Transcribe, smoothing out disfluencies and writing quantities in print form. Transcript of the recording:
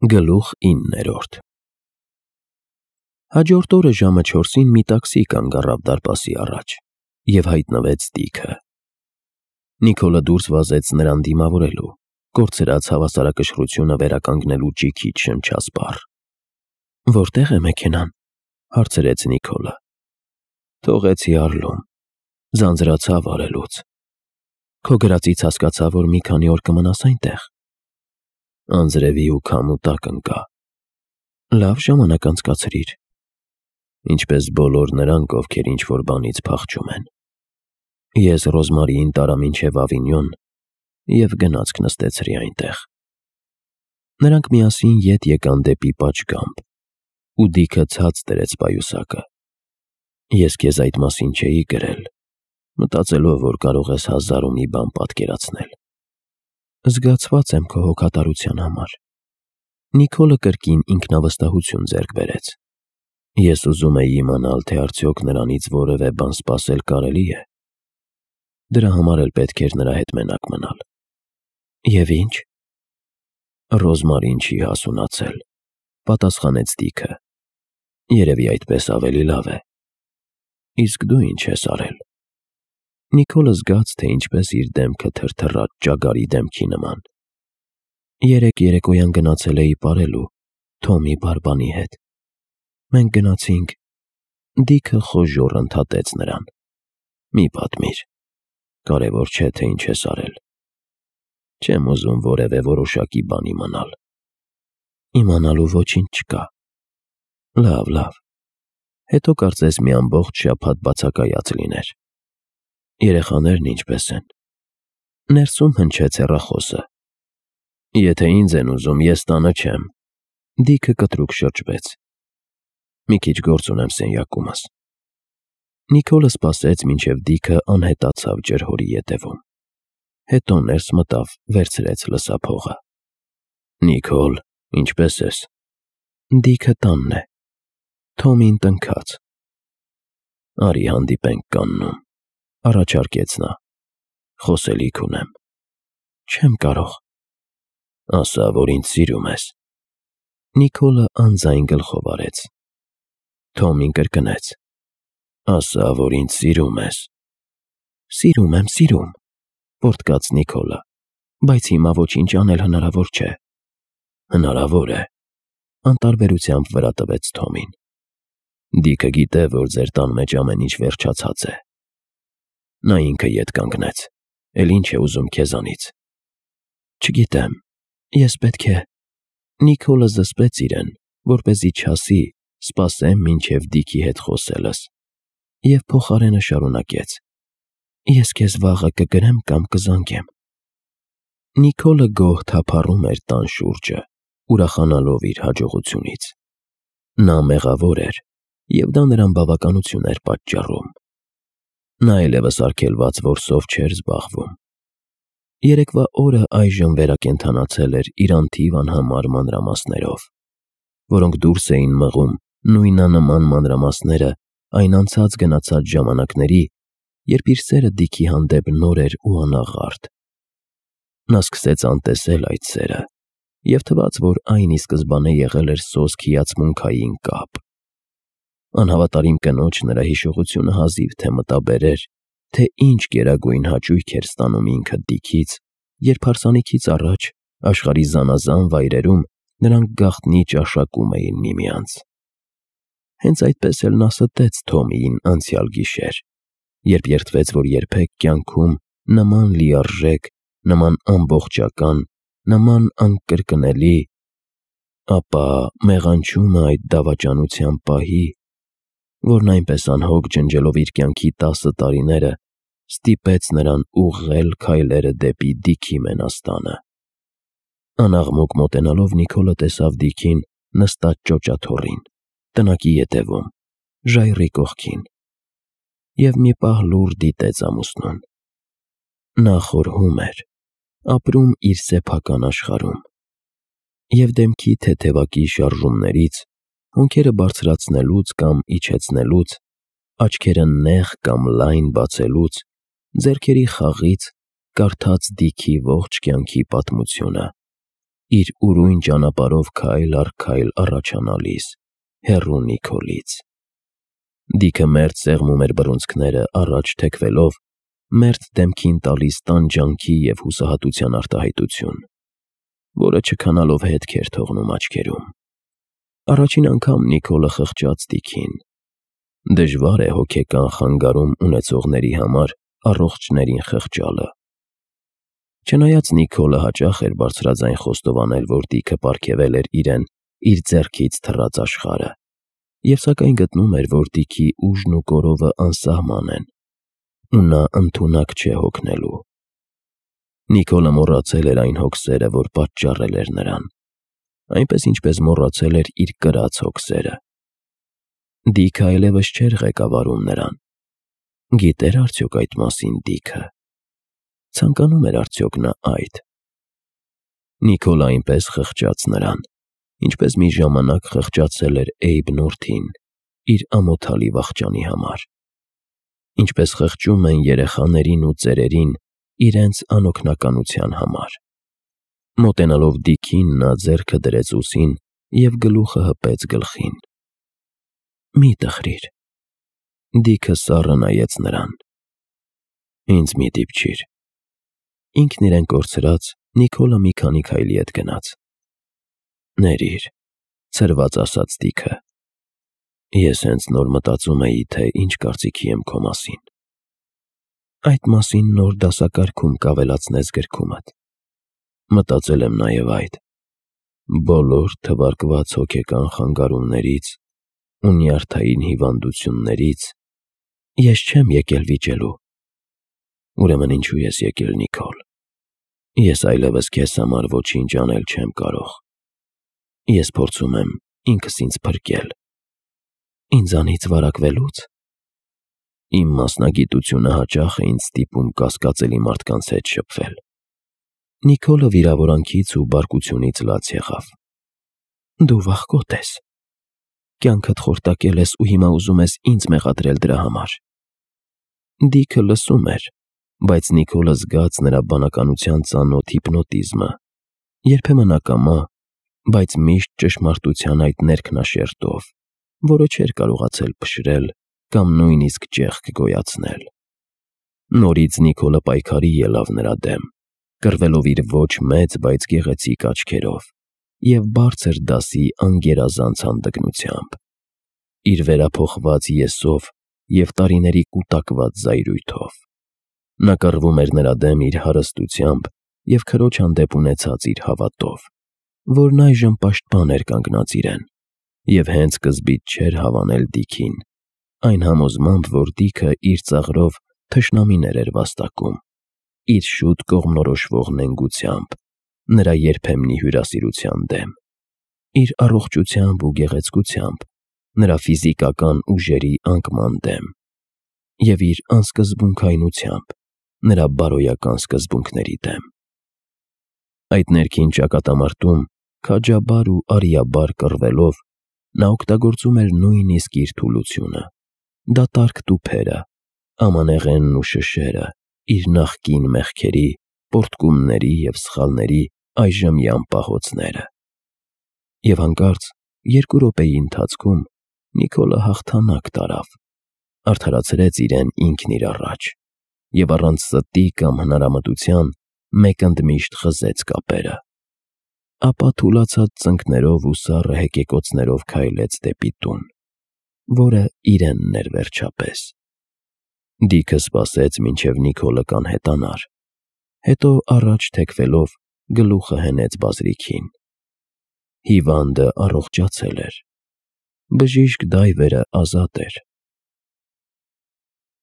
Գլուխ 9 Հաջորդ օրը ժամը 4-ին մի տաքսի կանգ առավ դարպասի առաջ և հայտնվեց Դիքը։ Նիկոլը դուրս վազեց նրան դիմավորելու, կորցրած հավասարակշռությունը վերականգնելու ճիգիչ շնչասպառ։ «Որտե՞ղ է մեքենան», հարցրեց Նիկոլը։ «Թողեցի Արլում, ձանձրացավ արելուց»։ «Քո գրածից հասկացա, որ մի քանի օր կմնաս այնտեղ»։ «Անձրևի ու քամու տակ ընկա»։ «Լավ ժամանակ անցկացրիր»։ «Ինչպես բոլոր նրանք, ովքեր ինչ-որ բանից փախչում են»։ Ես Ռոզմարիին տարա մինչև Ավինյոն և գնացք նստեցրի այնտեղ։ Նրանք միասին ետ եկան դեպի պատշգամբ, ու Դիքը ցած դրեց պայուսակը։ Ես քեզ այդ մասին չէի գրել, մտածելով, որ կարող ես 1000 ու մի բան պատկերացնել։ Զգացված եմ քո հոգատարության համար։ Նիկոլը կրկին ինքնավստահություն ձեռք բերեց։ Ես ուզում էի իմանալ, թե արդյոք նրանից որևէ բան սպասել կարելի է։ Դրա համար էլ պետք էր նրա հետ մենակ մնալ։ Եվ ինչ։ Ռոզմարին չի հասունացել, պատասխանեց Դիքը։ Երևի այդպես ավելի լավ է։ Իսկ դու ինչ ես արել։ Նիկոլը զգաց, թե ինչպես իր դեմքը թրթռաց ճագարի դեմքի նման։ Երեկ երեկոյան գնացել էի պարելու Թոմի բարբանի հետ։ Մենք գնացինք։ Դիքը խոժոռ ընդհատեց նրան։ Մի պատմիր։ Կարևոր չէ, թե ինչ ես արել։ Չեմ ուզում որևէ որոշակի բան իմանալ։ Իմանալու ոչինչ չկա։ Լավ։ Հետո կարծես մի ամբողջ շաբաթ բացակայած լիներ։ Երեխաներն ինչպես են։ Ներսում հնչեց հեռախոսը։ Եթե ինձ են ուզում, ես տանը չեմ։ Դիքը կտրուկ շրջվեց։ Մի քիչ գործ ունեմ սենյակումս։ Նիկոլը սպասեց, մինչև Դիքը անհետացավ ջրհորի ետևում։ Հետո ներս մտավ, վերցրեց լսափողը։ Նիկոլ, ինչպես ես։ Դիքը տանն է։ Թոմին տնքաց։ Արի հանդիպենք կաննում, առաջարկեց նա։ Խոսելիք ունեմ։ Չեմ կարող։ Ասա, որ ինձ սիրում ես։ Նիկոլը անձայն գլխով արեց։ Թոմին կրկնեց։ Ասա, որ ինձ սիրում ես։ Սիրում, պոռթկաց Նիկոլը, բայց հիմա ոչինչ անել հնարավոր չէ։ Հնարավոր է, անտարբերությամբ վրա տվեց Թոմին։ Դիքը գիտե, որ ձեր տան մեջ ամեն ինչ վերջացած է։ Նա ինքը ետ կանգնեց, էլ ինչ է ուզում քեզանից։ Չգիտեմ, ես պետք է։ Նիկոլը զսպեց իրեն, որպեսզի չասի, սպասեմ մինչև Դիքի հետ խոսելս, և փոխարենը շարունակեց. Ես քեզ վաղը կգրեմ կամ կզանգեմ։ Նիկոլը գոհ թափառում էր տան շուրջը, ուրախանալով իր հաջողությունից։ Նա մեղավոր էր, և դա նրան բավականություն էր պատճառում։ Նա այլևս արգելված որսով չէր զբաղվում։ Երեկվա օրը այժմ վերակենդանացել էր իր անթիվ անհամար մանրամասներով, որոնք դուրս էին մղում նույնանման մանրամասները այն անցած-գնացած ժամանակների, երբ իր սերը Դիքի հանդեպ նոր էր ու անաղարտ։ Նա սկսեց անտեսել այդ սերը, և թվաց, որ այն ի սկզբանե եղել էր սոսկ հիացմունքային կապ։ Անհավատարիմ կնոջ նրա հիշողությունը հազիվ թե մտաբերեր, թե ինչ գերագույն հաճույք էր ստանում ինքը Դիքից, երբ հարսանիքից առաջ աշխարհի զանազան վայրերում նրանք գաղտնի ճաշակում էին միմյանց։ Հենց այդպես էլ նա ստեց Թոմիին անցյալ գիշեր, երբ երդվեց, որ երբեք կյանքում նման լիարժեք, նման ամբողջական, նման անկրկնելի, ապա մեղանչումը այդ դավաճանության պահի, որն այնպես անհոգ ջնջելով իր կյանքի 10 տարիները, ստիպեց նրան ուղղել քայլերը դեպի Դիքի մենաստանը։ Անաղմուկ մոտենալով Նիկոլը տեսավ Դիքին նստած ճոճաթոռին, տնակի ետևում, ժայռի կողքին, և մի պահ լուռ դիտեց ամուսնուն։ Նա խորհում էր, ապրում իր սեփական աշխարհում, և դեմքի թեթևակի շարժումներից, հոնքերը բարձրացնելուց կամ իջեցնելուց, աչքերը նեղ կամ լայն բացելուց, ձեռքերի խաղից կարդաց Դիքի ողջ կյանքի պատմությունը, իր ուրույն ճանապարհով քայլ առ քայլ առաջանալիս, հեռու Նիկոլից։ Դիքը մերթ սեղմում էր բռունցքները առաջ թեքվելով, մերթ դեմքին տալիս տանջանքի և հուսահատության արտահայտություն, որը չքանալով հետք էր թողնում աչքերում։ Առաջին անգամ Նիկոլը խղճաց Դիքին։ Դժվար է հոգեկան խանգարում ունեցողների համար առողջներին խղճալը։ Չնայած Նիկոլը հաճախ էր բարձրաձայն խոստովանել, որ Դիքը պարգևել էր իրեն իր ձեռքից թռած աշխարհը, և սակայն գտնում էր, որ Դիքի ուժն ու կորովը անսահման են, ու նա ընդունակ չէ հոգնելու։ Նիկոլը մոռացել էր այն հոգսերը, որ պատճառել էր նրան, այնպես ինչպես մոռացել էր իր կրած հոգսերը։ Դիքը այլևս չէր ղեկավարում նրան։ Գիտե՞ր արդյոք այդ մասին Դիքը։ Ցանկանում էր արդյոք նա այդ։ Նիկոլը այնպես խղճաց նրան, ինչպես մի ժամանակ խղճացել էր Էյբ Նորթին իր ամոթալի վախճանի համար, ինչպես խղճում են երեխաներին ու ծերերին իրենց անօգնականության համար։ Մոտենալով Դիքին, նա ձեռքը դրեց ուսին և գլուխը հպեց գլխին։ «Մի տխրիր»։ Դիքը սառը նայեց նրան։ «Ինձ մի դիպչիր»։ Ինքն իրեն կորցրած, Նիկոլը մի քանի քայլի հետ գնաց։ «Ներիր», ցրված ասաց Դիքը։ «Ես հենց նոր մտածում էի, թե ինչ կարծիքի եմ քո մասին»։ «Այդ մասին նոր դասակարգում կավելացնես գրքումդ»։ Մտածել եմ նաև այդ։ Բոլոր թվարկված հոգեկան խանգարումներից ու նյարդային հիվանդություններից ես չեմ եկել վիճելու։ Ուրեմն ինչու ես եկել, Նիկոլ։ Ես այլևս քեզ համար ոչինչ անել չեմ կարող։ Ես փորձում եմ ինքս ինձ փրկել։ Ինձանից վարակվելուց։ Իմ մասնագիտությունը հաճախ է ինձ ստիպում կասկածելի մարդկանց հետ շփվել։ Նիկոլը վիրավորանքից ու բարկությունից լաց եղավ։ Դու վախկոտ ես։ Կյանքդ խորտակել ես ու հիմա ուզում ես ինձ մեղադրել դրա համար։ Դիքը լսում էր, բայց Նիկոլը զգաց նրա բանականության ծանոթ հիպնոտիզմը, երբեմն ակամա, բայց միշտ ճշմարտության այդ ներքնաշերտով, որը չէր կարողացել փշրել կամ նույնիսկ ճեղք գոյացնել։ Նորից Նիկոլը պայքարի ելավ նրա դեմ, կռվելով իր ոչ մեծ, բայց գեղեցիկ աչքերով և բարձր դասի անգերազանց հանդգնությամբ, իր վերափոխված եսով և տարիների կուտակված զայրույթով։ Նա կռվում էր նրա դեմ իր հարստությամբ և քրոջ հանդեպ ունեցած իր հավատով, որն այժմ պաշտպան էր կանգնած իրեն, և հենց սկզբից չէր հավանել Դիքին, այն համոզմամբ, որ Դիքը իր ծաղրով թշնամիներ էր վաստակում, իր շուտ կողմնորոշվող նենգությամբ, նրա երբեմնի հյուրասիրության դեմ, իր առողջությամբ ու գեղեցկությամբ, նրա ֆիզիկական ուժերի անկման դեմ և իր անսկզբունքայնությամբ, նրա բարոյական սկզբունքների դեմ։ Այդ ներքին ճակատամարտում քաջաբար ու արիաբար կռվելով, նա օգտագործում էր նույնիսկ իր թուլությունը, դատարկ տուփերը, ամանեղենն ու շշերը, իր նախկին մեղքերի, պոռթկումների և սխալների այժմյան պահոցները։ Եվ հանկարծ 2 րոպեի ընթացքում Նիկոլը հաղթանակ տարավ, արդարացրեց իրեն ինքն իր առաջ և առանց ստի կամ հնարամտության մեկ ընդմիշտ խզեց կապերը։ Ապա թուլացած ծնկներով ու սառը հեկեկոցներով քայլեց դեպի տուն, որը իրենն էր վերջապես։ Դիքը սպասեց, մինչև Նիկոլը կանհետանար, հետո առաջ թեքվելով գլուխը հենեց բազրիքին։ Հիվանդը առողջացել էր։ Բժիշկ Դայվերը ազատ էր։